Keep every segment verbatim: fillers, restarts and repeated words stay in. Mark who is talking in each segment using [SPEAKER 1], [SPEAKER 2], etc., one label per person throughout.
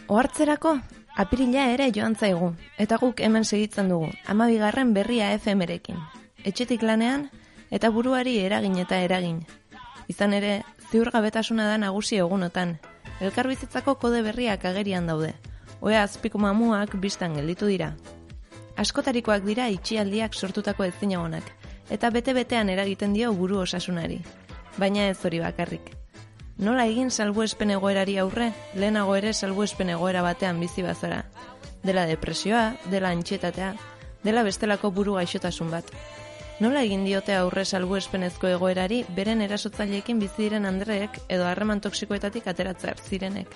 [SPEAKER 1] Ohartzerako, apirila ere joan zaigu, eta guk hemen segitzen dugu, hamabigarren berria F M-rekin. Etxetik lanean, eta buruari eragin eta eragin. Izan ere, ziurgabetasuna da nagusi egunotan. Elkarbizitzako kode berriak agerian daude. Oea azpiko mamuak bistan gelditu dira. Askotarikoak dira itxialdiak sortutako ezinagonak, eta bete-betean eragiten dio buru osasunari. Baina ez hori bakarrik. Nola egin salbuespen egoerari aurre, lehenago ere salbuespen egoera batean bizi bazara. Dela depresioa, dela antxietatea, dela bestelako buru gaixotasun bat. Nola egin diote aurre salbuespenezko egoerari beren erasotzaileekin bizi diren andreek edo harreman toksikoetatik ateratzea zirenek?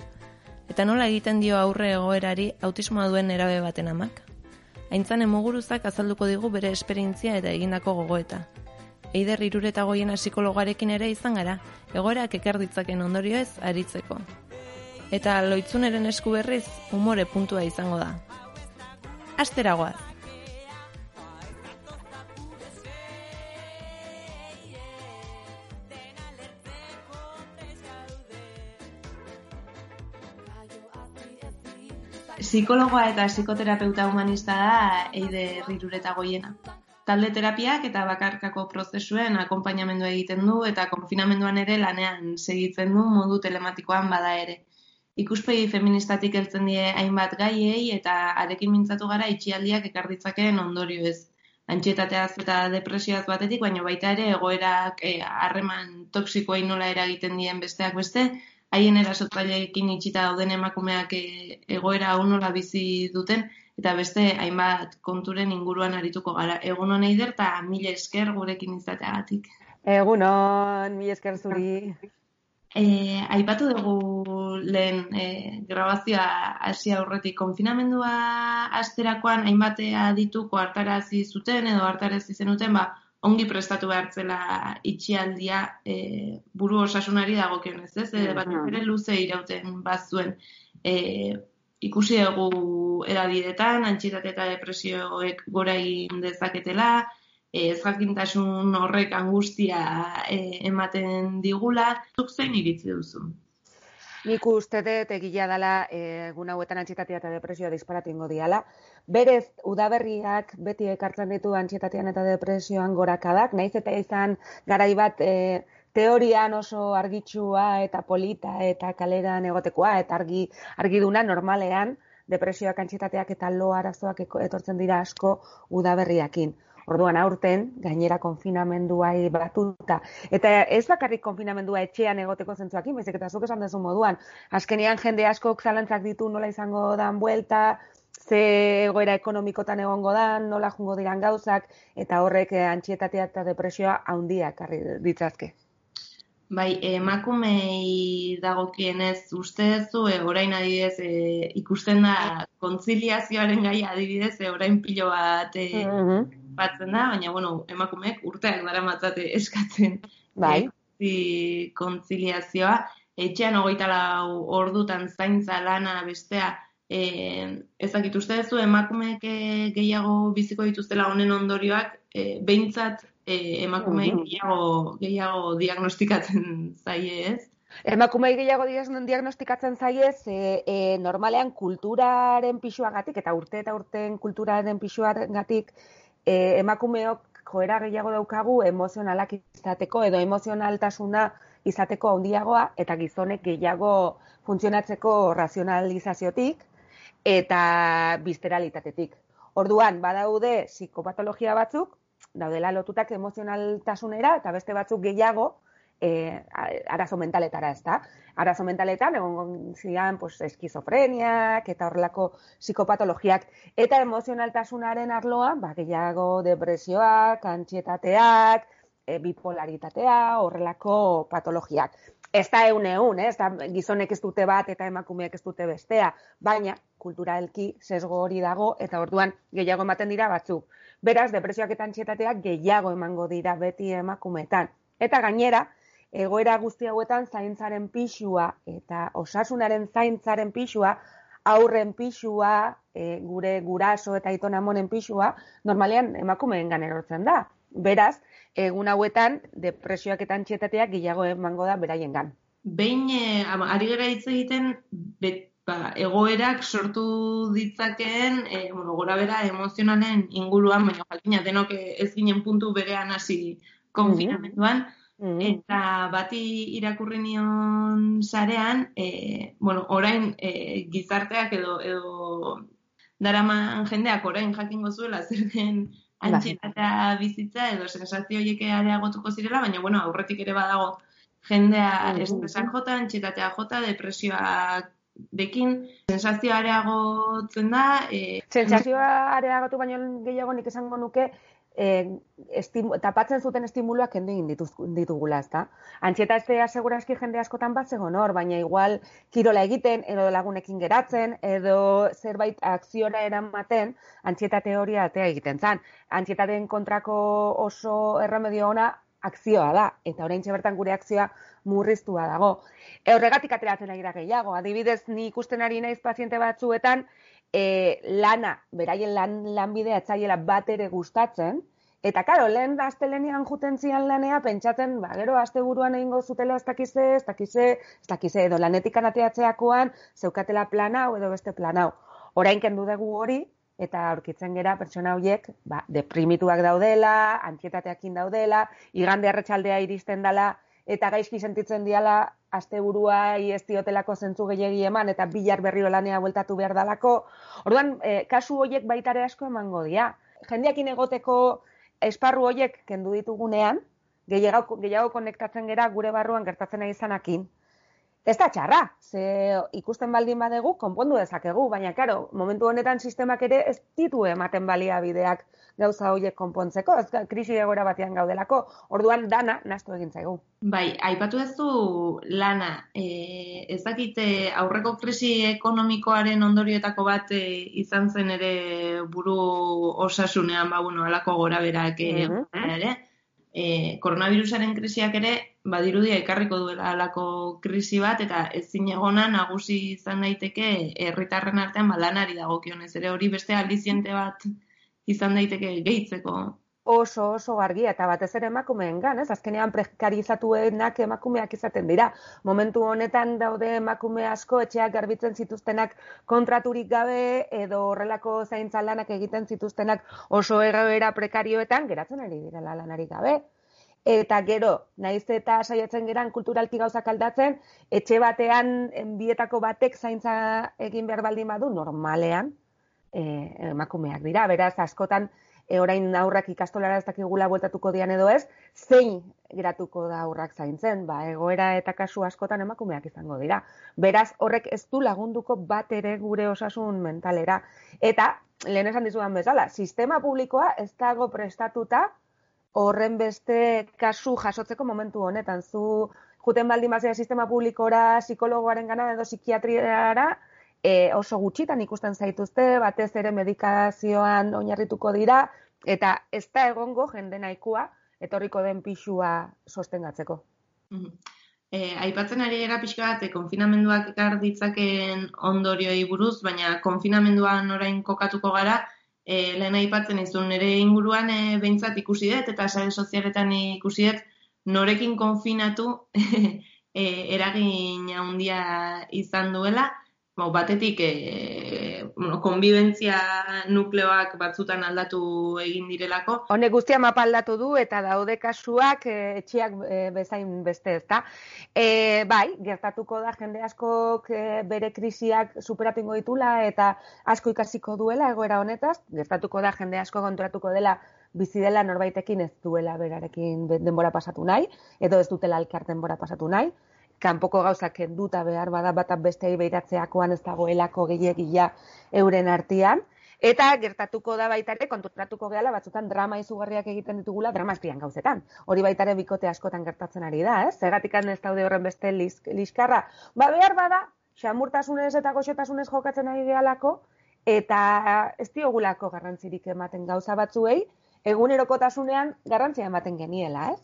[SPEAKER 1] Eta nola egiten dio aurre egoerari autismoa duen nerabe baten amak? Aintzane Muguruzak azalduko digu bere esperientzia eta egindako gogoeta. Eider Iruretagoiena psikologarekin ere izan gara, egoerak ekar ditzaken ondorioez aritzeko. Eta Loitzuneren esku berriz, umore puntua izango da. Asteragoaz!
[SPEAKER 2] Psikologoa eta psikoterapeuta humanista da Eider Iruretagoiena. Talde terapiak eta bakarkako prozesuen akonpainamendua egiten du eta konfinamenduan ere lanean segitzen du modu telematikoan bada ere. Ikuspegi feministatik heltzen die hainbat gaiei eta arekin mintzatu gara itxialdiak ekar ditzakeen ondorioez. Antxietateaz eta depresioaz batetik, baina baita ere egoerak harreman toksikoei nola eragiten dien besteak beste, haien erasotzaileekin itxita dauden emakumeak egoera hau nola bizi duten, eta beste hainbat konturen inguruan arituko gara. Egunon Eider eta mila esker gurekin izateagatik.
[SPEAKER 3] Egunon, mila esker zuri.
[SPEAKER 2] E, aipatu dugu lehen e, grabazioa hasi aurretik konfinamendua hasterakoan hainbatea dituko hartarazi zuten edo hartarazi zenuten, ba, ongi prestatu behartzela itxialdia e, buru osasunari dagokionez, ez? E, bat ere luze irauten bazuen. E, ikusi dugu edabidetan, antxietate eta depresioek gora egin dezaketela, ez jakintasun horrek angustia e, ematen digula. Zuk zein iritzi duzu?
[SPEAKER 3] Nik uste dut egia dela egun hauetan antxietatea eta depresioa disparatu ingo diala. Berez, udaberriak beti ekartzen ditu antxietatean eta depresioan gorakadak, nahiz eta izan garai bat e, teorian oso argitsua eta polita eta kaleran egotekoa eta argi argiduna normalean depresioak, antxietateak eta lo arazoak etortzen dira asko udaberriakin. Orduan aurten, gainera konfinamenduai batuta. Eta ez bakarrik konfinamendua etxean egoteko zentzuakin, baizik eta zuk esan duzu moduan. Azkenean jende askok zalantzak ditu nola izango dan buelta, ze egoera ekonomikotan egongo dan, nola jungo diran gauzak, eta horrek antxietatea eta depresioa handiak ekarri ditzazke.
[SPEAKER 2] Bai, emakumei dagokienez uste duzu, e, orain adibidez e, ikusten da kontziliazioaren gaia adibidez, e, orain pilo bat e, mm-hmm. batzen da, baina bueno, emakumeek urteak daramatzate eskatzen
[SPEAKER 3] bai.
[SPEAKER 2] e, kontziliazioa. Etxean hogeita lau ordutan zaintza lana bestea, e, ezakit uste duzu emakumeek gehiago biziko dituztela honen ondorioak, e, behintzat E, emakumei gehiago, gehiago diagnostikatzen zaie, ez?
[SPEAKER 3] Emakumei gehiago diagnostikatzen zaie, e, e, normalean kulturaren pisuagatik eta urte eta urten kulturaren pisuagatik e, emakumeok joera gehiago daukagu emozionalak izateko edo emozionaltasuna izateko handiagoa eta gizonek gehiago funtzionatzeko razionalizaziotik eta bisteralitatetik. Orduan, badaude psikopatologia batzuk, daudela lotutak emozionaltasunera eta beste batzuk gehiago e, arazo mentaletara, ez da? Arazo mentaletan egon zian pues, eskizofreniak eta horrelako psikopatologiak eta emozionaltasunaren arloan ba, gehiago depresioak, antxietateak, e, bipolaritatea, horrelako patologiak. Ez da eun eun, ez da gizonek ez dute bat eta emakumeak ez dute bestea, baina kulturalki sesgo hori dago eta orduan gehiago ematen dira batzuk. Beraz, depresioak eta antxietateak gehiago emango dira beti emakumeetan. Eta gainera, egoera guzti hauetan zaintzaren pisua eta osasunaren zaintzaren pisua, aurren pisua, e, gure guraso eta aiton amonen pisua, normalean emakumeengan erortzen da. Beraz, egun hauetan depresioak eta antxietateak gehiago emango da beraiengan.
[SPEAKER 2] Behin, eh, ari gara hitz egiten, bet, ba, egoerak sortu ditzakeen e, bueno, gora bera emozionalen inguruan, baina jakina denok ez ginen puntu berean hasi konfinamenduan,
[SPEAKER 3] Mm-hmm.
[SPEAKER 2] eta bati irakurri nion sarean, e, bueno, orain e, gizarteak edo, edo daraman jendeak orain jakingo zuela zer den antsietatea bizitza edo sensazio horiek areagotuko zirela, baina bueno, aurretik ere badago jendea estresak jota, antsietatea jota, depresioak dekin, sensazioa areagotzen da.
[SPEAKER 3] E, Sensazioa areagotu baino gehiago nik esango nuke, e, estimu, tapatzen zuten estimuluak kendu egin ditugula, ezta? Antsietatea segurazki jende askotan bat zegoen hor, baina igual kirola egiten, edo lagunekin geratzen, edo zerbait akziora eramaten, antsietate hori atea egiten zan. Antsietateen kontrako oso erremedio ona akzioa da, eta oraintxe bertan gure akzioa murriztua dago. E, horregatik ateratzen ari da gehiago. Adibidez, ni ikusten ari naiz paziente batzuetan, e, lana, beraien lan, lanbidea etzaiela bat ere gustatzen, eta karo, lehen astelenean juten zian lanea, pentsatzen, ba, gero asteburuan egingo zutela ez dakize, ez dakize, ez dakize, edo lanetik anateatzeakoan, zeukatela plan hau edo beste plan hau. Orain kendu dugu hori, eta aurkitzen gera pertsona horiek ba, deprimituak daudela, antsietateakin daudela, igande arratsaldea iristen dela, eta gaizki sentitzen diala asteburua ez diotelako zentzu gehiegi eman, eta bihar berriro lanea bueltatu behar dalako. Orduan, eh, kasu horiek baitare asko emango dira. Jendeakin egoteko esparru horiek kendu ditugunean, gehiago, gehiago konektatzen gera gure barruan gertatzen ari izanakin. Ez da txarra, ze ikusten baldin badegu, konpondu dezakegu, baina, karo, momentu honetan sistemak ere ez ditu ematen baliabideak gauza horiek konpontzeko, ez krisi egoera batean gaudelako, orduan dana nahastu egin zaigu.
[SPEAKER 2] Bai, aipatu ez du lana, e, ez dakite aurreko krisi ekonomikoaren ondorioetako bat e, izan zen ere buru osasunean, ba, bueno, alako gora berak e, mm-hmm. ere, E, koronavirusaren krisiak ere badirudia ekarriko duela halako krisi bat, eta ezin egona nagusi izan daiteke herritarren artean balanari dagokionez ere hori beste aldiziente bat izan daiteke gehitzeko.
[SPEAKER 3] Oso, oso argia, eta batez ere emakumeengan, ez? Azkenean prekarizatuenak emakumeak izaten dira. Momentu honetan daude emakume asko etxeak garbitzen zituztenak kontraturik gabe, edo horrelako zaintza lanak egiten zituztenak oso egoera prekarioetan, geratzen ari direla lanarik gabe. Eta gero, naiz eta saiatzen geran kulturalki gauzak aldatzen, etxe batean bietako batek zaintza egin behar baldin badu, normalean eh, emakumeak dira. Beraz, askotan, E, orain aurrak ikastolara ez dakigula bueltatuko dian edo ez, zein geratuko da aurrak zaintzen, ba, egoera eta kasu askotan emakumeak izango dira. Beraz, horrek ez du lagunduko bat ere gure osasun mentalera. Eta, lehen esan dizudan bezala, sistema publikoa ez dago prestatuta horren beste kasu jasotzeko momentu honetan. Zu juten baldin bazea sistema publikora, psikologoaren gana edo psikiatriara, E, oso gutxitan ikusten zaituzte, batez ere medikazioan oinarrituko dira, eta ez da egongo jende nahikoa etorriko den pisua sostengatzeko.
[SPEAKER 2] Mm-hmm. E, aipatzen ari gara pixka bat, konfinamenduak ekar ditzakeen ondorioi buruz, baina konfinamenduan orain kokatuko gara, e, lehen aipatzen izun nire inguruan e, behintzat ikusi dut, eta sare sozialetan ikusi dut, norekin konfinatu e, eragin handia izan duela. Batetik, e, bueno, konbibentzia nukleoak batzutan aldatu egin direlako.
[SPEAKER 3] Honek guztia mapa aldatu du eta daude kasuak e, etxiak e, bezain beste, ezta. E, bai, gertatuko da jende askok e, bere krisiak superatu ingo ditula eta asko ikasiko duela egoera honetaz. Gertatuko da jende asko konturatuko dela bizi dela norbaitekin ez duela berarekin denbora pasatu nahi, edo ez dutela elkar denbora pasatu nahi. Kanpoko gauzak kenduta behar bada bat bestei beiratzeakoan ez dagoelako gehiegia euren artean. Eta gertatuko da baitare, konturatuko gehala batzutan drama izugarriak egiten ditugula drama azpian gauzetan. Hori baitare bikote askotan gertatzen ari da, ez? Zergatikan ez daude horren beste liskarra. Ba behar bada, xamurtasunez eta goxotasunez jokatzen ari gehalako, eta ez diogulako garrantzirik ematen gauza batzuei, egunerokotasunean garrantzia ematen geniela, ez?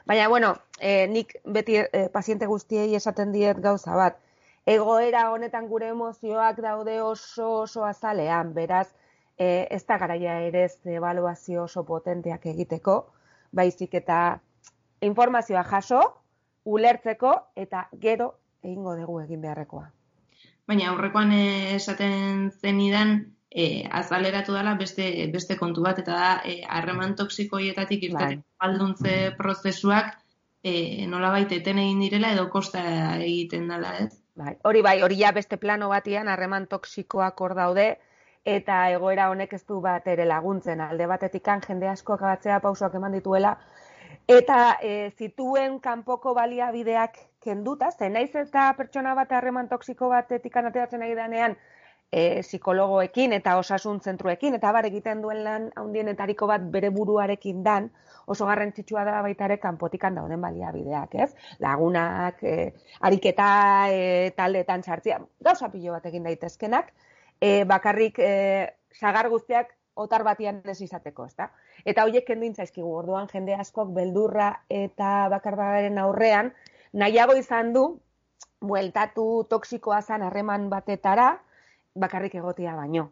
[SPEAKER 3] Baina, bueno, eh, nik beti eh, paziente guztiei esaten diet gauza bat. Egoera honetan gure emozioak daude oso oso azalean, beraz, eh, ez da garaia ere ez ebaluazio oso potenteak egiteko, baizik eta informazioa jaso, ulertzeko eta gero egingo dugu egin beharrekoa.
[SPEAKER 2] baina aurrekoan esaten zenidan e, azaleratu dela beste, beste kontu bat, eta da e, harreman toksikoietatik irteteko galduntze prozesuak e, nolabait eten egin direla edo kosta egiten dela, ez?
[SPEAKER 3] Bai, hori bai, hori ja beste plano batian harreman toksikoak hor daude, eta egoera honek ez du bat ere laguntzen. Alde batetikan jende askoak batzea pausoak eman dituela, eta e, zituen kanpoko baliabideak kenduta, ze naiz eta pertsona bat harreman toksiko batetik ateratzen ari denean, e, psikologoekin eta osasun zentruekin, eta bar egiten duen lan handienetariko bat bere buruarekin dan, oso garrantzitsua da baita ere kanpotikan dauden baliabideak, ez? Lagunak, e, ariketa e, taldeetan sartzea, gauza pilo bat egin daitezkenak, e, bakarrik e, sagar guztiak otar batian ez izateko, ezta? Eta horiek kendu intzaizkigu, orduan jende askok beldurra eta bakarbadaren aurrean, nahiago izan du, bueltatu toksikoa zan harreman batetara, bakarrik egotia baino.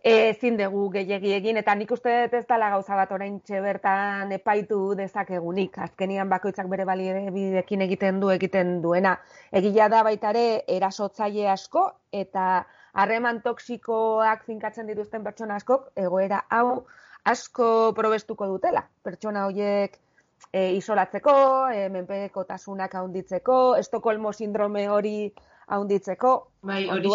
[SPEAKER 3] Ezin dugu gehiegi egin, eta nik uste dut ez dela gauza bat oraintxe bertan epaitu dezakegunik. Azkenian bakoitzak bere baliabideekin egiten du egiten duena. Egia da baita ere erasotzaile asko, eta harreman toksikoak finkatzen dituzten pertsona askok egoera hau asko probestuko dutela. Pertsona horiek e, isolatzeko, e, menpekotasunak handitzeko, Estokolmo sindrome hori handitzeko.
[SPEAKER 2] Bai, hori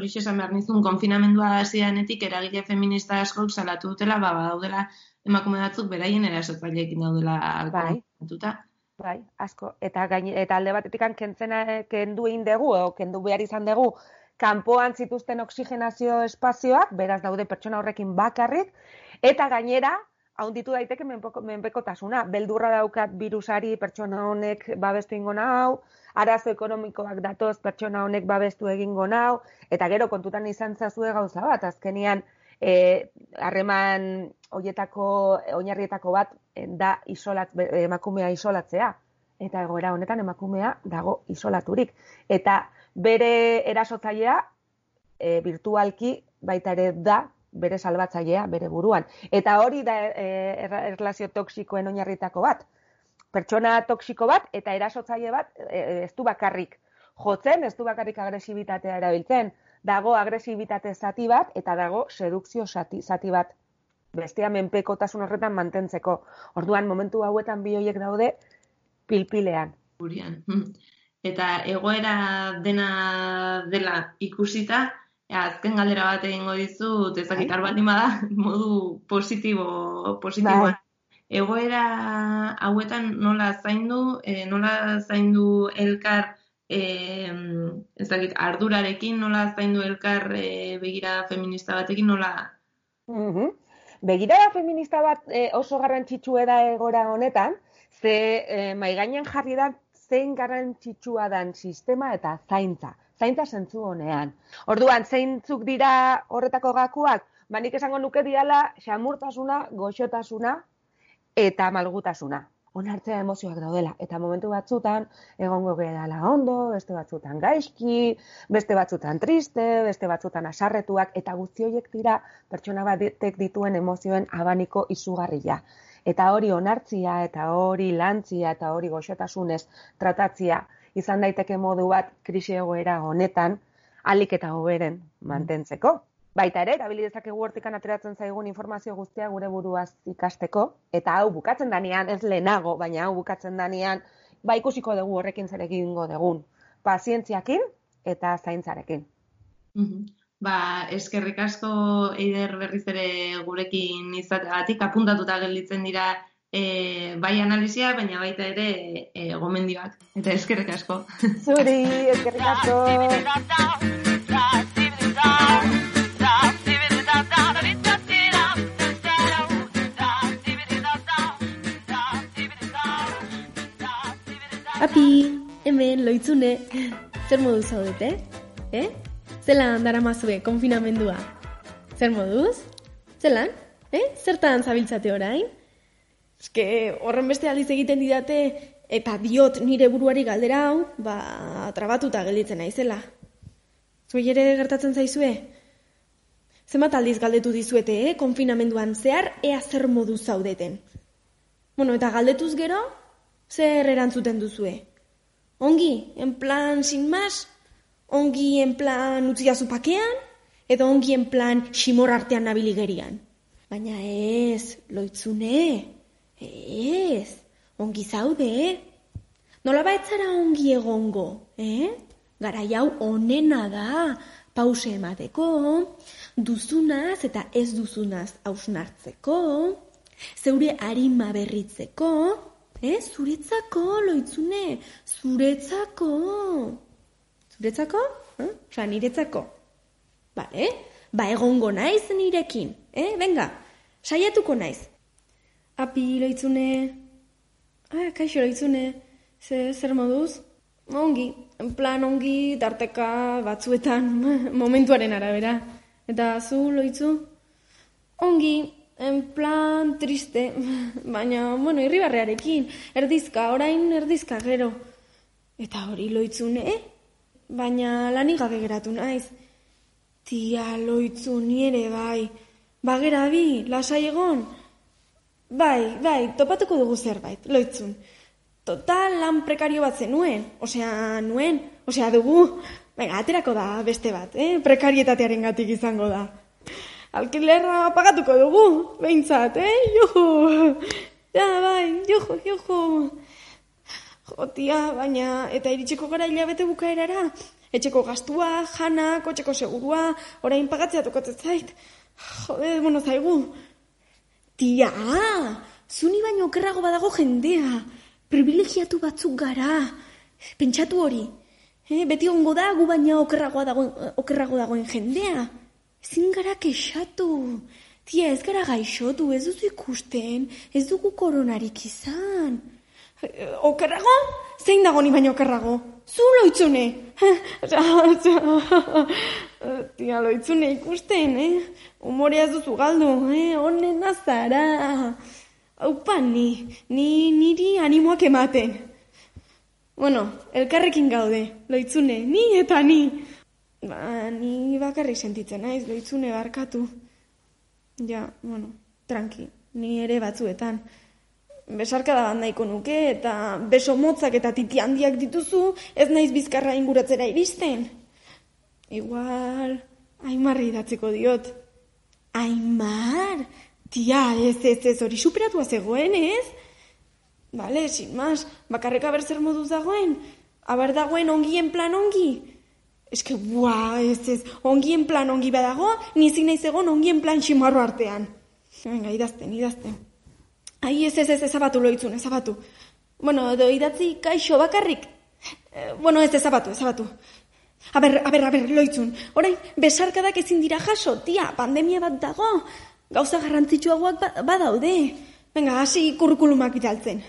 [SPEAKER 2] esan behar nizun, konfinamendua hasianetik eragile feminista askok salatu dutela, ba, daudela emakume batzuk beraien erasotzaileekin daudela konfrontatuta.
[SPEAKER 3] Bai, asko. Eta, gaine, eta alde batetik kentzena kendu egin dugu, o kendu behar izan dugu, kanpoan zituzten oxigenazio espazioak, beraz daude pertsona horrekin bakarrik, eta gainera, haunditu daiteke menpekotasuna. Beldurra daukat virusari pertsona honek babestu ingo nau, arazo ekonomikoak datoz pertsona honek babestu egingo nau, eta gero kontutan izan zazue gauza bat, azkenian harreman e, horietako, oinarrietako bat da isolat, emakumea isolatzea. Eta egoera honetan emakumea dago isolaturik. Eta bere erasotzailea e, virtualki baita ere da bere salbatzailea bere buruan. Eta hori da e, erlazio toksikoen oinarritako bat. Pertsona toksiko bat eta erasotzaile bat e, ez du bakarrik jotzen, ez du bakarrik agresibitatea erabiltzen. Dago agresibitate zati bat eta dago sedukzio zati, zati bat. Bestea menpekotasun horretan mantentzeko. Orduan momentu hauetan bi horiek daude pilpilean.
[SPEAKER 2] Gurian. Eta egoera dena dela ikusita, azken galdera bat egingo dizut, ezakit baldin bada, modu positibo, positiboan. Egoera hauetan nola zaindu, e, nola zaindu elkar, e, ezakit, ardurarekin, nola zaindu elkar e, begirada feminista batekin, nola...
[SPEAKER 3] Mm-hmm. Begirada feminista bat e, oso garrantzitsua da egoera honetan, ze e, maigainan jarri da zein garrantzitsua dan sistema eta zaintza. Zaintza zentzu honean. Orduan, zeintzuk dira horretako gakuak? Ba, nik esango nuke diala xamurtasuna, goxotasuna eta malgutasuna. Onartzea emozioak daudela. Eta momentu batzutan, egongo gehala ondo, beste batzutan gaizki, beste batzutan triste, beste batzutan asarretuak, eta guzti horiek dira pertsona batek dituen emozioen abaniko izugarria. Eta hori onartzia, eta hori lantzia, eta hori goxotasunez tratatzia izan daiteke modu bat krisi egoera honetan ahalik eta hoberen mantentzeko. Baita ere, erabili dezakegu hortikan ateratzen zaigun informazio guztia gure buruaz ikasteko, eta hau bukatzen danean, ez lehenago, baina hau bukatzen danean, ba ikusiko dugu horrekin zer egingo dugun. Pazientziakin eta zaintzarekin.
[SPEAKER 2] Mm-hmm. Ba, eskerrik asko Eider berriz ere gurekin izateagatik, apuntatuta gelditzen dira e, bai analizia, baina baita ere e, gomendioak. Eta eskerrik asko.
[SPEAKER 3] Zuri, eskerrik asko.
[SPEAKER 4] Api, hemen loitzune, zer modu zaudete? Eh? Zelan daramazue konfinamendua? Zer moduz? Zelan? Eh? Zertan zabiltzate orain? Eske horren beste aldiz egiten didate eta diot nire buruari galdera hau, ba, trabatuta gelditzen naizela. Zuei ere gertatzen zaizue? Zenbat aldiz galdetu dizuete, eh? Konfinamenduan zehar ea zer moduz zaudeten. Bueno, eta galdetuz gero, zer erantzuten duzue? Ongi, en plan, sin más? Ongi en plan utziazu pakean, edo ongi en plan ximor artean nabiligerian. Baina ez, Lohitzune, ez, ongi zaude. Nola baitzara ongi egongo, eh? Garai hau onena da, pause emateko, duzunaz eta ez duzunaz hausnartzeko, zeure arima berritzeko, eh? Zuretzako, Lohitzune, zuretzako. Zuretzako? Eh? Osa, niretzako. Bale? Ba, egongo naiz nirekin, eh? Venga, saiatuko naiz. Api, Lohitzune. Ah, kaixo, Lohitzune. Ze, zer moduz? Ongi, en plan ongi, tarteka batzuetan, momentuaren arabera. Eta zu, Loitzu? Ongi, en plan triste, baina, bueno, irribarrearekin, erdizka, orain erdizka gero. Eta hori, Lohitzune, eh? Baina lanik gabe geratu naiz. Tia, Loitzu, nire bai, bagera bi, lasai egon. Bai, bai, topatuko dugu zerbait, Lohitzun. Total lan prekario bat zenuen, osea, nuen, osea, dugu. Venga, aterako da beste bat, eh? Prekarietatearen gatik izango da. Alkilerra pagatuko dugu, behintzat, eh? Juhu! Ja, bai, juhu, juhu! Jotia, baina, eta iritsiko gara hilabete bukaerara. Etxeko gastua, jana, kotxeko segurua, orain pagatzea tokatzen zait. Jode, bueno, zaigu. Tia, zuni baino okerrago badago jendea. Privilegiatu batzuk gara. Pentsatu hori. Eh, beti ongo da, gu baina okerrago dagoen, okerrago dagoen jendea. Ezin gara kexatu. Tia, ez gara gaixotu, ez duzu ikusten, ez dugu koronarik izan. Okerrago? Zein dago ni baino okerrago? Zu, Lohitzune! Tia, Lohitzune ikusten, eh? Humorea duzu galdu, eh? Honen azara. Aupa, ni, ni, niri animoak ematen. Bueno, elkarrekin gaude, Lohitzune, ni eta ni. Ba, ni bakarrik sentitzen naiz, Lohitzune barkatu. Ja, bueno, tranqui, ni ere batzuetan. Besarkada bat nahiko nuke, eta beso motzak eta titi handiak dituzu, ez naiz bizkarra inguratzera iristen. Igual, Aimarri idatziko diot. Aimar? Tia, ez, ez, ez, hori superatua zegoen, ez? Bale, sin mas, bakarreka ber zer moduz dagoen. Aber dagoen ongien plan ongi. Eske, bua, ez, ez, ongien plan ongi badago, nizik naiz egon ongien plan ximarro artean. Venga, idazten, idazten. Ai, ez, ez, ez, ezabatu, Lohitzun, ezabatu. Bueno, edo idatzi kaixo bakarrik. Eh, bueno, ez, ezabatu, ezabatu. A ber, a ber, a ber, Lohitzun, orain, besarkadak ezin dira jaso, tia, pandemia bat dago. Gauza garrantzitsuagoak ba, badaude. Venga, hasi kurrikulumak bidaltzen.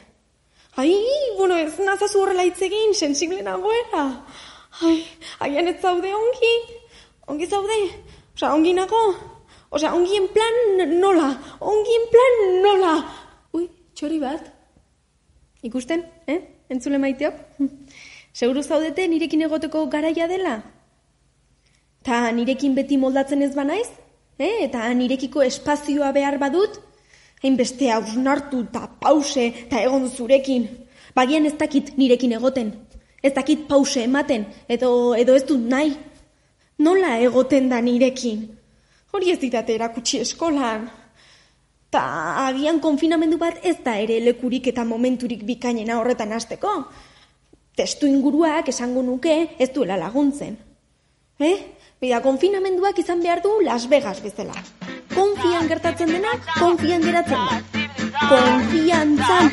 [SPEAKER 4] Ai, bueno, ez nazazu horrela hitz egin, sensible nagoela. Ai, aian ez zaude ongi. Ongi zaude. Osea, ongi nago. Osea, ongi en plan nola. Ongi en plan nola. Ui, txori bat. Ikusten, eh? Entzule maiteok. Seguru zaudete nirekin egoteko garaia dela? Ta nirekin beti moldatzen ez banaiz? Eh? Eta nirekiko espazioa behar badut? Hainbeste hausnartu eta pause eta egon zurekin. Bagian ez dakit nirekin egoten. Ez dakit pause ematen. Edo, edo ez dut nahi. Nola egoten da nirekin? Hori ez ditate erakutsi eskolan. Ta agian konfinamendu bat ez da ere lekurik eta momenturik bikainena horretan hasteko. Testu inguruak esango nuke ez duela laguntzen. Eh? Bida, konfinamenduak izan behar du Las Vegas bezala. Konfian gertatzen dena, konfian geratzen da. Konfiantzan.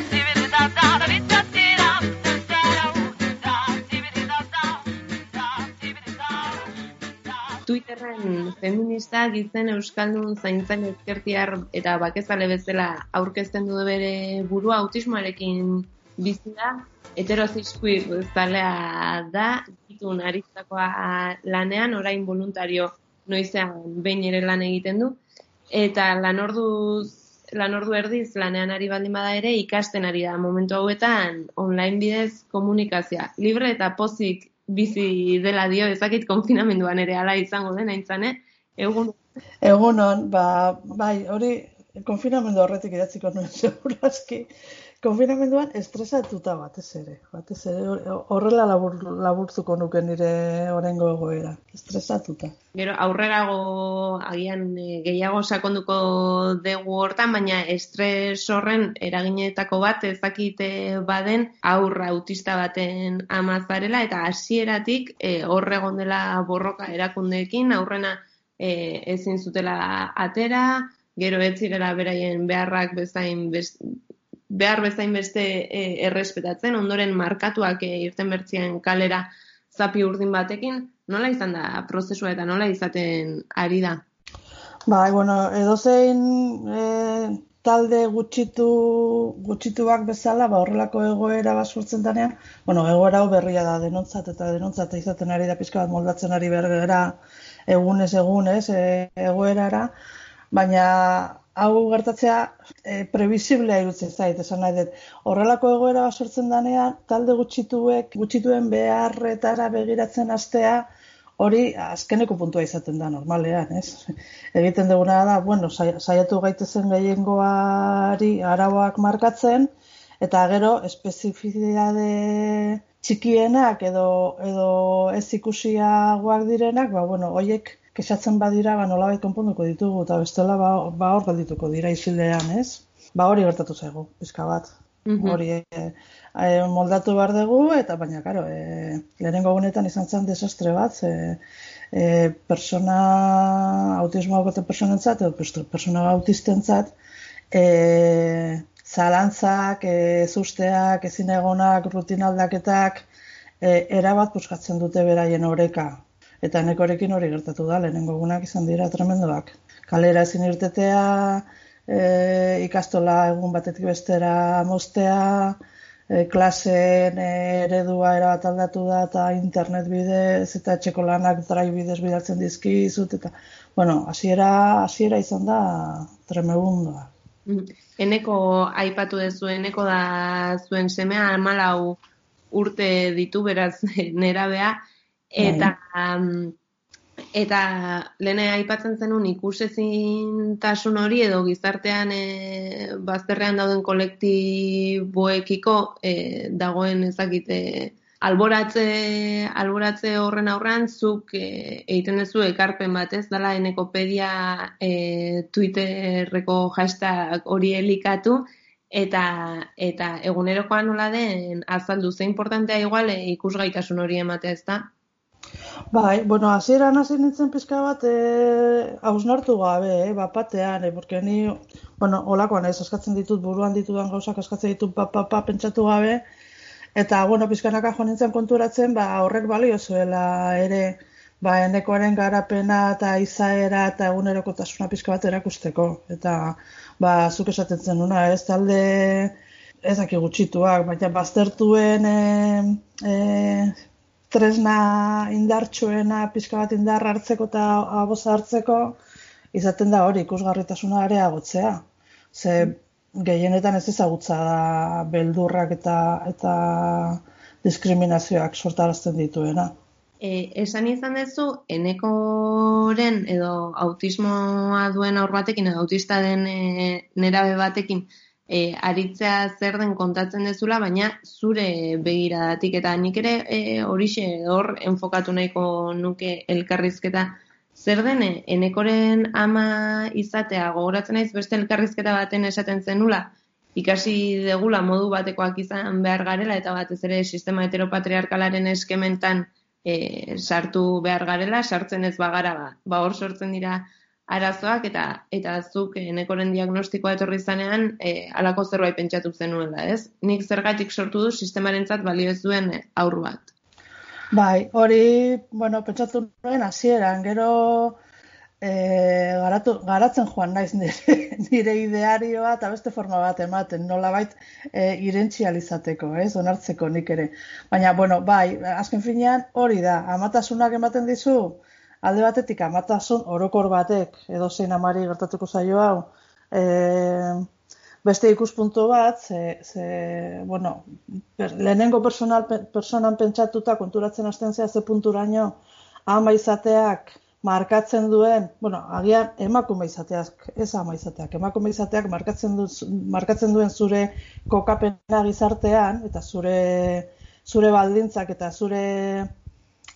[SPEAKER 2] Twitterren feministak izen euskaldun zaintzen ezkertiar eta bakezale bezala aurkezten du bere burua autismoarekin bizi da. Heteroziskuir zalea da, itun aristakoa lanean, orain voluntario noizean behin ere lan egiten du. Eta lanordu, lanordu erdiz lanean ari baldin bada ere ikasten ari da momentu hauetan online bidez komunikazioa. Libre eta pozik bizi dela dio, ezakit konfinamenduan ere ala izango den, aintzane, egun.
[SPEAKER 5] Egunon, ba, bai, hori konfinamendu horretik idatziko nuen, seguraski. konfinamenduan estresatuta batez ere. Batez ere horrela labur, laburtuko nuke nire orengo egoera. Estresatuta.
[SPEAKER 2] Gero aurrerago agian gehiago sakonduko dugu hortan, baina estres horren eraginetako bat ezakite baden aurra autista baten ama zarela eta hasieratik e, hor egon dela borroka erakundeekin, aurrena e, ezin zutela atera, gero ez zirela beraien beharrak bezain best, behar bezain beste e, errespetatzen, ondoren markatuak e, irten bertzien kalera zapi urdin batekin, nola izan da prozesua eta nola izaten ari da?
[SPEAKER 5] Bai, bueno, edozein e, talde gutxitu, gutxituak bezala, ba, horrelako egoera bat sortzen denean, bueno, egoera hau berria da, denontzat eta denontzat izaten ari da pixka bat moldatzen ari bergera egunez egunez e, egoerara, baina hau gertatzea e, previsiblea irutzen zait, esan nahi dut. Horrelako egoera bat sortzen denean, talde gutxituek, gutxituen beharretara begiratzen hastea, hori azkeneko puntua izaten da normalean, ez? Egiten duguna da, bueno, saiatu gaitezen gehiengoari arauak markatzen, eta gero espezifizitate txikienak edo, edo ez ikusiagoak direnak, ba, bueno, hoiek kexatzen badira, ba, nolabait konponduko ditugu, eta bestela ba, ba hor galdituko dira isildean, ez? Ba hori gertatu zaigu, pizka bat. Mm-hmm. Hori e, e, moldatu behar dugu, eta baina, karo, e, lehenengo gunetan izan zen desastre bat, e, e, persona, autismoa gote personentzat, edo persona autistentzat, e, zalantzak, e, zusteak, ezin egonak, rutinaldaketak, e, erabat puskatzen dute beraien oreka. Eta nekorekin hori gertatu da, lehenengo egunak izan dira tremendoak. Kalera ezin irtetea, e, ikastola egun batetik bestera moztea, e, klaseen eredua erabat aldatu da, eta internet bidez, eta etxeko lanak drive bidez bidaltzen dizkizut, eta, bueno, hasiera hasiera izan da tremendua.
[SPEAKER 2] Eneko aipatu dezu, eneko da zuen semea, hamalau urte ditu, beraz, nerabea, Eta, um, eta lehene aipatzen zenun ikusezintasun hori edo gizartean e, bazterrean dauden kolektiboekiko e, dagoen ezakite alboratze, alboratze horren aurrean zuk e, egiten duzu ekarpen bat ez dela enekopedia e, Twitterreko hashtag hori elikatu eta, eta egunerokoan nola den azaldu ze importantea igual e, ikusgaitasun hori ematea ez da?
[SPEAKER 5] Bai, bueno, hasieran hasi nintzen pizka bat eh hausnartu gabe, eh, bapatean, eh, porque ni, bueno, holakoan ez eskatzen ditut buruan ditudan gauzak eskatzen ditut pa, pa, pa pentsatu gabe eta bueno, pizkanaka jo nintzen konturatzen, ba horrek balio zuela ere ba enekoaren garapena eta izaera eta egunerokotasuna pizka bat erakusteko eta ba zuk esaten zenuna, ez talde ez daki gutxituak, baina baztertuen eh eh tresna indartsuena pizka bat indar hartzeko eta aboza hartzeko izaten da hori ikusgarritasuna areagotzea. Ze gehienetan ez ezagutza da beldurrak eta eta diskriminazioak sortarazten dituena.
[SPEAKER 2] E, esan izan duzu, enekoren edo autismoa duen aur batekin edo autista den e, nerabe batekin E, aritzea zer den kontatzen dezula, baina zure begiradatik eta nik ere e, horixe hor enfokatu nahiko nuke elkarrizketa zer den enekoren ama izatea gogoratzen naiz beste elkarrizketa baten esaten zenula ikasi degula modu batekoak izan behar garela eta batez ere sistema heteropatriarkalaren eskementan e, sartu behar garela, sartzen ez bagara ba, ba hor sortzen dira arazoak eta eta zuk enekoren diagnostikoa etorri zanean e, halako zerbait pentsatu zenuela, ez? Nik zergatik sortu du sistemarentzat balio ez duen haur bat.
[SPEAKER 5] Bai, hori, bueno, pentsatu nuen hasieran, gero e, garatu, garatzen joan naiz nire, nire idearioa eta beste forma bat ematen, nolabait e, irentzializateko, ez? Onartzeko nik ere. Baina, bueno, bai, azken finean hori da, amatasunak ematen dizu, alde batetik amatasun orokor batek edo zein amari gertatuko zaio hau e, beste ikuspuntu bat ze, ze bueno, per, lehenengo personal, personan pentsatuta konturatzen hasten zea ze punturaino ama izateak markatzen duen, bueno, agian emakume izateak, ez ama izateak, emakume izateak markatzen, du, markatzen duen zure kokapena gizartean, eta zure, zure baldintzak eta zure,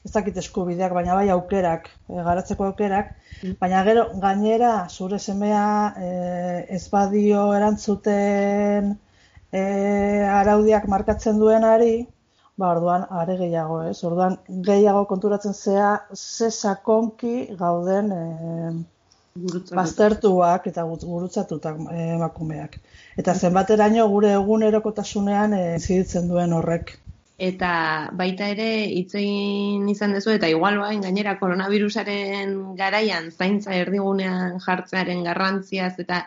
[SPEAKER 5] ez dakit eskubideak, baina bai aukerak, e, garatzeko aukerak, baina gero gainera zure semea e, ez badio erantzuten e, araudiak markatzen duenari, ba, orduan, are gehiago, ez? Orduan, gehiago konturatzen zea, ze sakonki gauden e, baztertuak eta gurutzatutak emakumeak. Eta zenbateraino gure egunerokotasunean e, ziditzen duen horrek.
[SPEAKER 2] Eta baita ere hitz egin izan duzu, eta igual bain gainera koronavirusaren garaian zaintza erdigunean jartzearen garrantziaz eta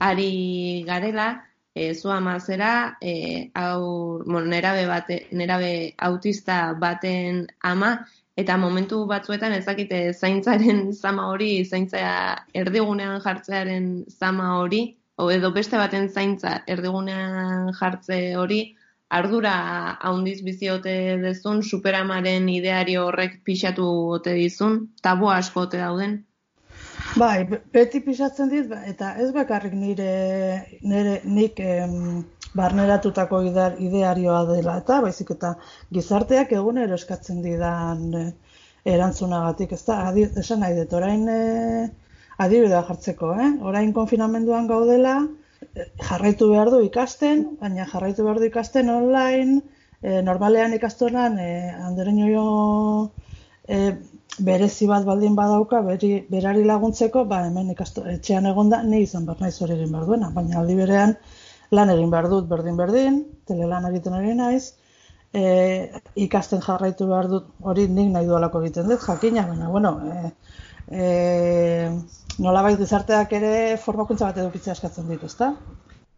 [SPEAKER 2] ari garela, E, zu ama zera, e, aur, bueno, nerabe, bate, nerabe autista baten ama, eta momentu batzuetan ezakite zaintzaren zama hori, zaintza erdigunean jartzearen zama hori, o edo beste baten zaintza erdigunean jartze hori, ardura haundiz bizi ote dezun, superamaren ideario horrek pixatu ote dizun, tabu asko ote dauden?
[SPEAKER 5] Bai, beti pisatzen dit, eta ez bakarrik nire, nire nik em, barneratutako idearioa dela, eta baizik eta gizarteak egunero eskatzen didan e, erantzunagatik, ez da, adi, esan nahi dut, orain e, adibidea jartzeko, eh? Orain konfinamenduan gaudela, e, jarraitu behar du ikasten, baina jarraitu behar du ikasten online, e, normalean ikastonan, e, andereño e, berezi bat baldin badauka, beri, berari laguntzeko, ba hemen ikasto, etxean egonda, ni izan behar naiz hori egin behar duena, baina aldi berean lan egin behar dut berdin-berdin, telelan egiten ari naiz, e, ikasten jarraitu behar dut, hori nik nahi dualako egiten dut, jakina, baina, bueno, e, e, nolabait gizarteak ere formakuntza bat edukitzea eskatzen ditu, ezta?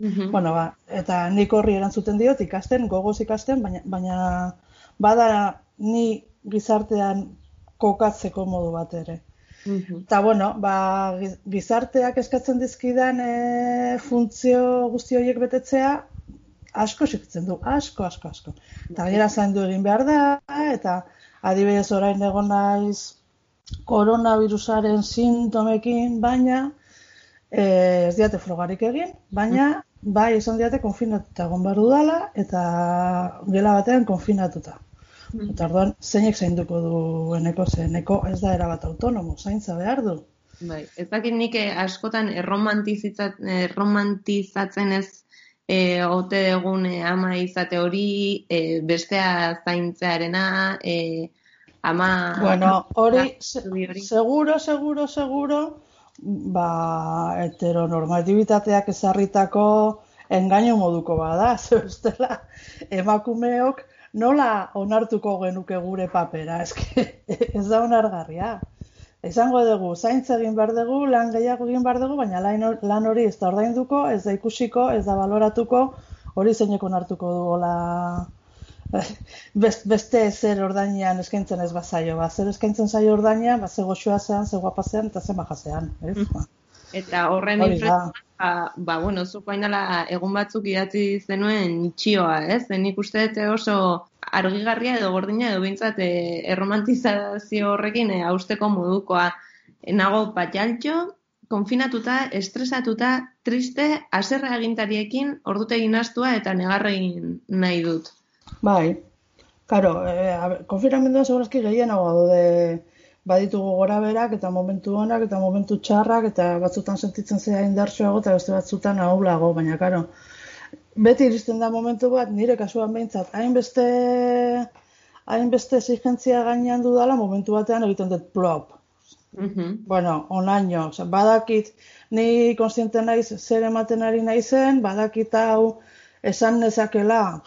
[SPEAKER 5] Mm-hmm. Bueno, ba, eta nik horri erantzuten diot, ikasten, gogoz ikasten, baina, baina bada ni gizartean kokatzeko modu bat ere. Mm-hmm. Eta, bueno, ba, gizarteak eskatzen dizkidan e, funtzio guzti horiek betetzea, asko exigitzen du, asko, asko, asko. Eta gera zaindu egin behar da, eta adibidez orain egon naiz koronavirusaren sintomekin, baina e, ez diate frogarik egin, baina bai esan diate konfinatuta egon behar dudala, eta gela batean konfinatuta. Eta orduan, zeinek zainduko du eneko, zeneko ez da erabat autonomo, zaintza behar du.
[SPEAKER 2] Bai, ez dakit nik askotan erromantizatzen ez e, ote egun e, ama izate hori, e, bestea zaintzearena, e, ama...
[SPEAKER 5] Bueno, hori, seguro, seguro, seguro, ba, heteronormatibitateak ezarritako engainu moduko bada, zebestela, emakumeok, nola onartuko genuke gure papera, eske ez da onargarria. Esango dugu, zaintza egin behar dugu, lan gehiago egin behar dugu, baina lan hori ez da ordainduko, ez da ikusiko, ez da baloratuko, hori zeinek onartuko dugola beste zer ordainean eskaintzen ez bazaio, ba, zer eskaintzen zaio ordainean, ba, ze goxoa zean, ze guapa zean, eta ze maja zean, ez? Mm.
[SPEAKER 2] Eta horren influenza, ba, ba, bueno, zuko hainala egun batzuk idatzi zenuen txioa, ez? Nik uste dut oso argigarria edo gordina edo bintzat e, erromantizazio horrekin e, hausteko modukoa. E, nago patxaltxo, konfinatuta, estresatuta, triste, haserre agintariekin ordutegin astua eta negarregin nahi dut.
[SPEAKER 5] Bai, karo, e, konfinamenduan segurazki gehienago daude baditugu gora berak eta momentu onak eta momentu txarrak eta batzutan sentitzen zea indartsuago eta beste batzutan ahulago, baina karo, beti iristen da momentu bat, nire kasuan behintzat, hainbeste hainbeste exigentzia gainean dudala, momentu batean egiten dut plop. Mm-hmm. Bueno, onaino, oza, badakit, ni konstiente naiz zer ematen ari naizen, badakit hau esan nezakela,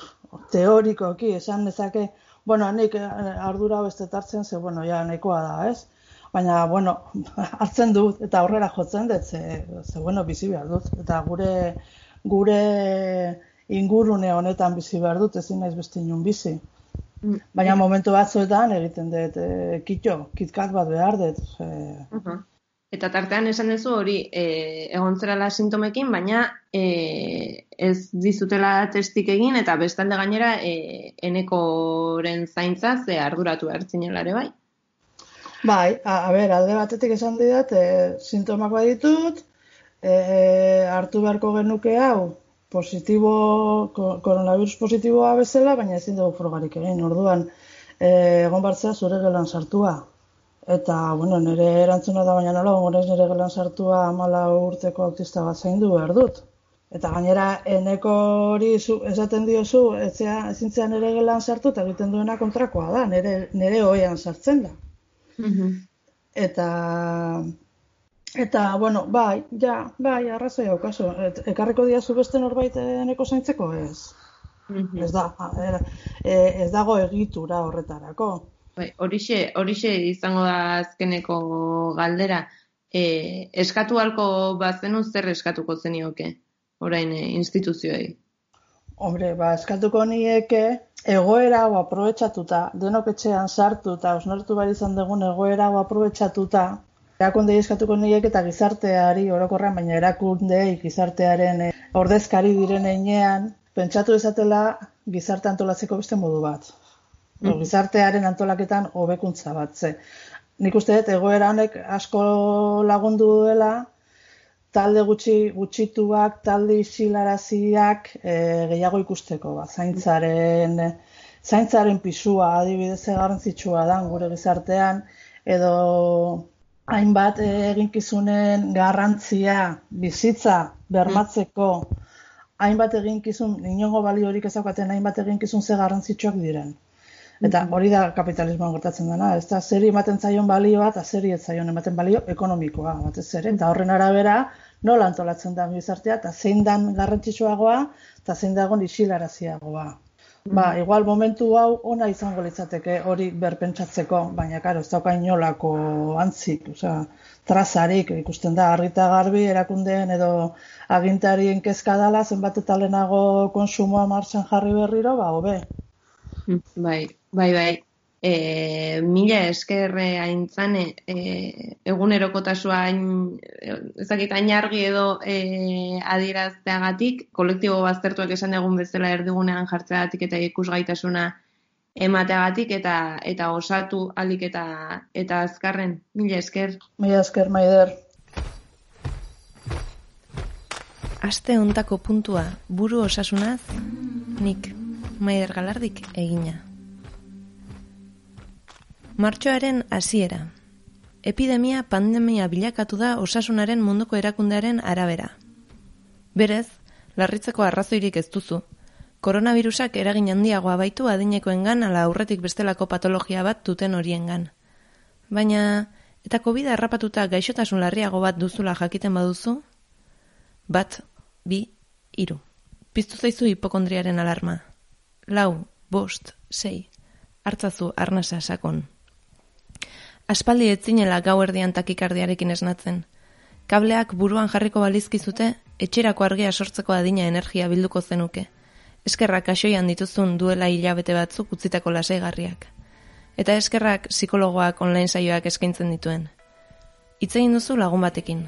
[SPEAKER 5] teorikoki esan nezake, bueno, nik ardura beste hartzen, ze, bueno, ja, nahikoa da, ez? Baina, bueno, hartzen dut, eta aurrera jotzen dut, ze, ze bueno, bizi behar dut. Eta gure, gure ingurune honetan bizi behar dut, ezin naiz beste inun bizi. Baina momentu batzuetan egiten dut, e, kitxo, kitkat bat behar dut. E...
[SPEAKER 2] Uh-huh. Eta tartean esan duzu hori e, egon zerala sintomekin, baina e, ez dizutela testik egin eta bestalde gainera e, enekoren zaintza ze arduratu hartzinelare bai?
[SPEAKER 5] Bai, a, a ber, alde batetik esan didat, e, sintomak baditut, e, hartu beharko genuke hau, positibo, koronavirus positiboa bezala, baina ezin dugu frogarik egin, orduan, e, egon bartzea zure gelan sartua. Eta, bueno, nire erantzuna da, baina nola, gonez nire gelan sartua amala urteko autista bat zaindu behar dut. Eta gainera, eneko hori zu, esaten diozu, ezintzea nire gelan sartu, eta egiten duena kontrakoa da, nire, nire oean sartzen da.
[SPEAKER 2] Mhm.
[SPEAKER 5] Eta, eta, bueno, bai, ja, bai, arrazoi daukazu. Et, ekarriko diazu beste norbait eneko zaintzeko, ez?
[SPEAKER 2] Mhm.
[SPEAKER 5] Ez da, e, ez dago egitura horretarako.
[SPEAKER 2] Bai, horixe, horixe izango da azkeneko galdera. E, eskatu halko bazenu zer eskatuko zenioke, orain e, instituzioei?
[SPEAKER 5] Hombre, ba, eskatuko nieke egoera hau aprobetxatuta, denok etxean sartu eta osnortu behar izan dugun egoera hau aprobetxatuta, erakundei eskatuko nieke eta gizarteari orokorrean, baina erakundei gizartearen eh, ordezkari diren heinean, pentsatu ezatela gizarte antolatzeko beste modu bat. Mm. Gizartearen antolaketan hobekuntza bat. Ze. Nik uste dut egoera honek asko lagundu duela, talde gutxi gutxituak, talde isilaraziak e, gehiago ikusteko, ba, zaintzaren, zaintzaren pisua adibidez garrantzitsua da gure gizartean, edo hainbat eginkizunen garrantzia bizitza bermatzeko, hainbat eginkizun, inongo baliorik ezaukaten hainbat eginkizun ze garrantzitsuak diren. Eta hori da kapitalismoan gertatzen dena, ez da zeri ematen zaion balioa eta zeri ez zaion ematen balio ekonomikoa batez ere, eta horren arabera nola antolatzen da gizartea eta zein dan garrantzitsuagoa eta zein dagoen isilaraziagoa. Ba, igual momentu hau ona izango litzateke hori berpentsatzeko, baina karo, ez dauka inolako antzik, osea, trazarik ikusten da argita garbi erakundeen edo agintarien kezka dela zenbat eta lehenago konsumoa martxan jarri berriro, ba, hobe.
[SPEAKER 2] Bai, bai, bai. E, mila eskerre aintzane, e, egunerokotasua hain, ezakit, hain argi edo e, adierazteagatik, kolektibo baztertuak esan egun bezala erdigunean jartzeagatik eta ikusgaitasuna emateagatik eta eta osatu alik eta eta azkarren. Mila esker.
[SPEAKER 5] Mila esker, Maider.
[SPEAKER 1] Aste hontako puntua buru osasunaz, nik Maider Galardik egina. Martxoaren hasiera. Epidemia pandemia bilakatu da osasunaren munduko erakundearen arabera. Berez, larritzeko arrazoirik ez duzu. Koronavirusak eragin handiagoa baitu adinekoengan ala aurretik bestelako patologia bat duten horiengan. Baina, eta COVID harrapatuta gaixotasun larriago bat duzula jakiten baduzu? Bat, bi, hiru. Piztu zaizu hipokondriaren alarma. Lau, bost, sei. Hartzazu arnasa sakon. Aspaldi etzinela gau erdian takikardiarekin esnatzen. Kableak buruan jarriko balizkizute, etxerako argia sortzeko adina energia bilduko zenuke. Eskerrak kaxoian dituzun duela hilabete batzuk utzitako lasaigarriak. Eta eskerrak psikologoak online saioak eskaintzen dituen. Hitz egin duzu lagun batekin.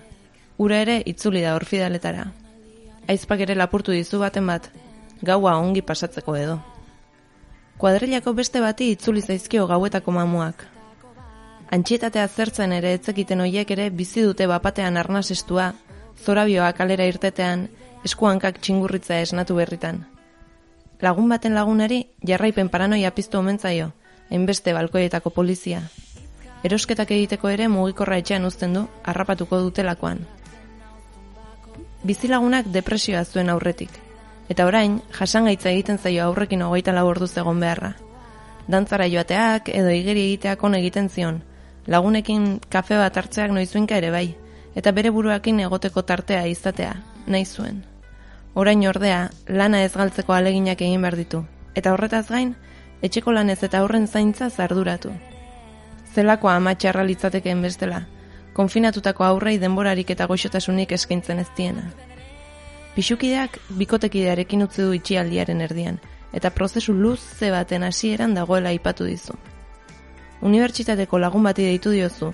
[SPEAKER 1] Ura ere itzuli da orfidaletara. Aizpak ere lapurtu dizu baten bat, gaua ongi pasatzeko edo. Kuadrilako beste bati itzuli zaizkio gauetako mamuak. Antxietatea zertzen ere etzekiten hoiek ere bizi dute bapatean arnasestua, zorabioa kalera irtetean, eskuankak txingurritza esnatu berritan. Lagun baten lagunari jarraipen paranoia piztu omentzaio, hainbeste balkoietako polizia. Erosketak egiteko ere mugikorra etxean uzten du, harrapatuko dutelakoan. Bizilagunak depresioa zuen aurretik, eta orain jasangaitza egiten zaio aurrekin hogeita lau orduz egon beharra. Dantzara joateak edo igeri egiteak on egiten zion, lagunekin kafe bat hartzeak noizuinka ere bai, eta bere buruakin egoteko tartea izatea, nahi zuen. Orain ordea, lana ez galtzeko aleginak egin behar ditu, eta horretaz gain, etxeko lanez eta aurren zaintza zarduratu. Zelakoa ama txarra litzatekeen bestela, konfinatutako aurrei denborarik eta goxotasunik eskaintzen ez diena. Pixukideak bikotekidearekin utzi du itxialdiaren erdian, eta prozesu luze baten hasieran dagoela aipatu dizu. Unibertsitateko lagun bati deitu diozu,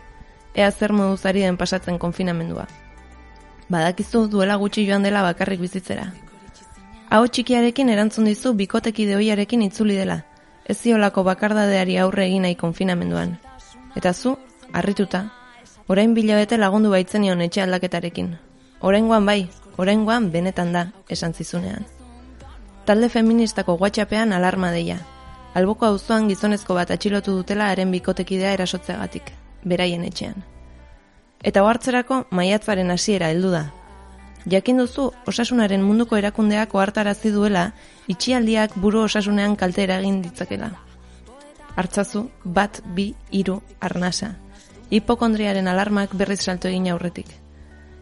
[SPEAKER 1] ea zer moduz ari den pasatzen konfinamendua. Badakizu duela gutxi joan dela bakarrik bizitzera. Aho txikiarekin erantzun dizu bikotekide ohiarekin itzuli dela, ez ziolako bakardadeari aurre egin nahi konfinamenduan. Eta zu, harrituta, orain bilabete lagundu baitzenion etxe aldaketarekin. Oraingoan bai, oraingoan benetan da, esan zizunean. Talde feministako WhatsAppean alarma deia. Alboko auzoan gizonezko bat atxilotu dutela haren bikotekidea erasotzeagatik, beraien etxean. Eta ohartzerako maiatzaren hasiera heldu da. Jakin duzu osasunaren munduko erakundeak ohartarazi duela itxialdiak buru osasunean kalte eragin ditzakela. Hartzazu bat, bi, hiru, arnasa. Hipokondriaren alarmak berriz salto egin aurretik.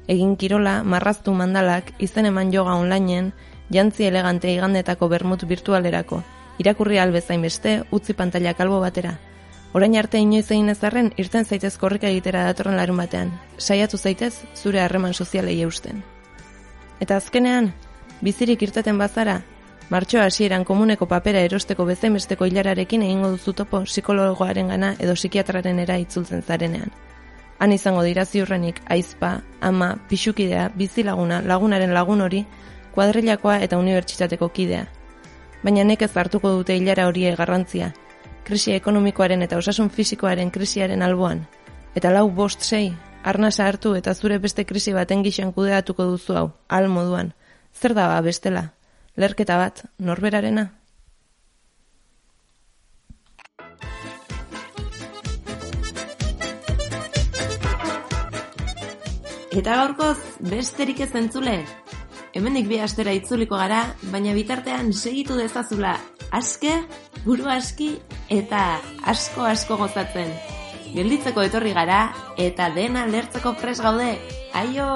[SPEAKER 1] Egin kirola, marraztu mandalak, izen eman yoga onlineen, jantzi elegante igandetako bermut virtualerako, irakurri albezain beste, utzi pantalla kalbo batera. Orain arte inoiz egin ezarren, irten zaitez korrika egitera datorren larun batean. Saiatu zaitez, zure harreman sozialei eusten. Eta azkenean, bizirik irteten bazara, martxoa hasieran komuneko papera erosteko bezainbesteko hilararekin egingo duzu topo psikologoaren gana edo psikiatrarenera itzultzen zarenean. Han izango dira ziurrenik aizpa, ama, pixukidea, bizilaguna, lagunaren lagun hori, kuadrilakoa eta unibertsitateko kidea. Baina nekez hartuko dute hilara horiek garrantzia, krisi ekonomikoaren eta osasun fisikoaren krisiaren alboan, eta lau bost sei, arnasa hartu eta zure beste krisi baten gixan kudeatuko duzu hau, ahal moduan. Zer da ba bestela? Lerketa bat, norberarena?
[SPEAKER 2] Eta gaurkoz, besterik ez entzule. Hemendik bi astera itzuliko gara, baina bitartean segitu dezazula aske, buru aski eta asko asko gozatzen. Gelditzeko etorri gara eta dena lertzeko prest gaude. Aio!